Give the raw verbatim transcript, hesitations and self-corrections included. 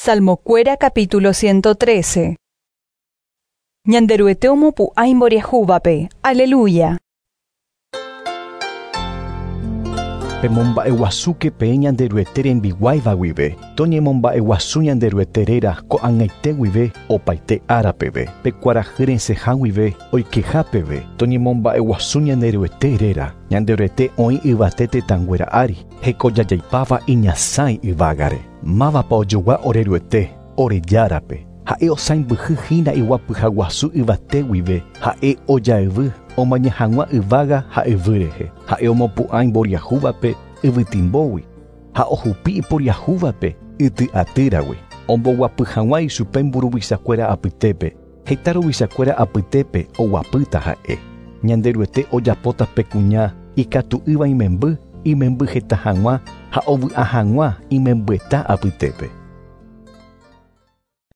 Salmokuéra capítulo ciento trece. Ñanderuete omopu'ã imboriahúvape. Aleluya. Pemomba'eguasúke peẽ Ñanderuete rembiguáiva guive, toñemomba'eguasu Ñanderuete réra ko'ag̃aite guive opaite ára peve, pe kuarahy resẽha guive oikeha peve, toñemomba'eguasu Ñanderuete réra. Ñanderuete oĩ yvate tetãnguéra ári, hekojajaipáva iñasãi yvágare. Mávapa ojogua ore Ruete, ore Járape. Ha'e osãimbyhyhína iguapyhaguasu yvate guive, ha'e ojayvy omaña hag̃ua yvága ha yvy rehe. Ha'e omopu'ã imboriahúvape yvytimbógui ha ohupi iporiahúvape yty'atýragui. Omboguapy hag̃ua ichupe mburuvichakuéra apytépe, heta ruvichakuéra apytépe oguapýta ha'e. Ñanderuete ojapóta pe kuña ikatu'ỹva imemby, imemby heta hag̃ua ha ovy'a hag̃ua imembyeta apytépe.